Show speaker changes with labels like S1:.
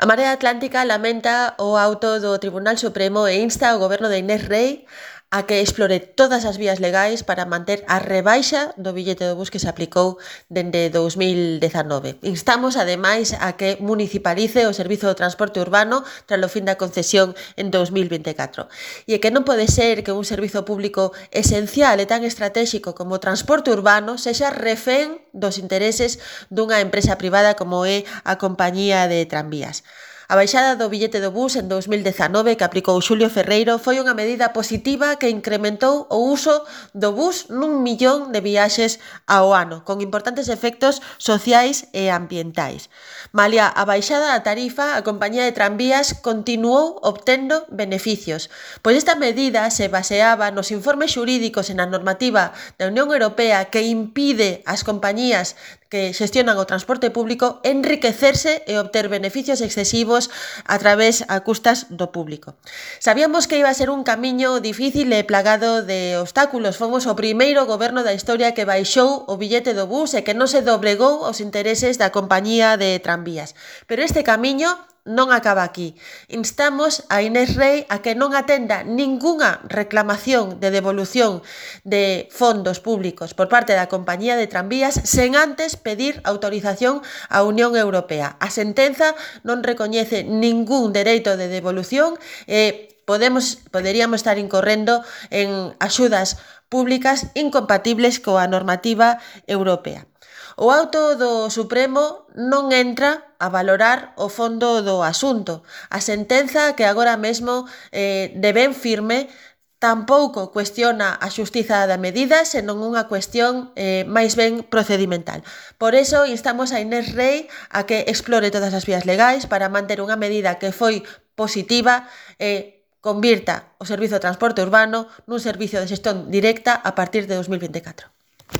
S1: A Marea Atlántica lamenta o auto do Tribunal Supremo e insta ao goberno de Inés Rei a que explore todas as vías legais para manter a rebaixa do billete do bus que se aplicou dende 2019. Instamos, ademais, a que municipalice o servizo do transporte urbano tras o fin da concesión en 2024. E é que non pode ser que un servizo público esencial e tan estratégico como o transporte urbano sexa refén dos intereses dunha empresa privada como é a compañía de tranvías. A baixada do billete do bus en 2019 que aplicou Xulio Ferreiro foi unha medida positiva que incrementou o uso do bus nun millón de viaxes ao ano, con importantes efectos sociais e ambientais. Malia a baixada da tarifa, a compañía de tranvías continuou obtendo beneficios, pois esta medida se baseaba nos informes xurídicos e na normativa da Unión Europea que impide ás compañías que xestionan o transporte público enriquecerse e obter beneficios excesivos a través a custas do público. Sabíamos que iba a ser un camiño difícil e plagado de obstáculos. Fomos o primeiro goberno da historia que baixou o billete do bus e que non se doblegou aos intereses da compañía de tranvías. Pero este camiño non acaba aquí. Instamos a Inés Rei a que non atenda ningunha reclamación de devolución de fondos públicos por parte da compañía de tranvías sen antes pedir autorización á Unión Europea. A sentenza non recoñece ningún dereito de devolución e poderíamos estar incorrendo en axudas públicas incompatibles coa normativa europea. O auto do Supremo non entra a valorar o fondo do asunto. A sentenza que agora mesmo de ben firme tampouco cuestiona a xustiza da medida, senón unha cuestión máis ben procedimental. Por iso instamos a Inés Rei a que explore todas as vías legais para manter unha medida que foi positiva e convirta o servizo de transporte urbano nun servizo de xestión directa a partir de 2024.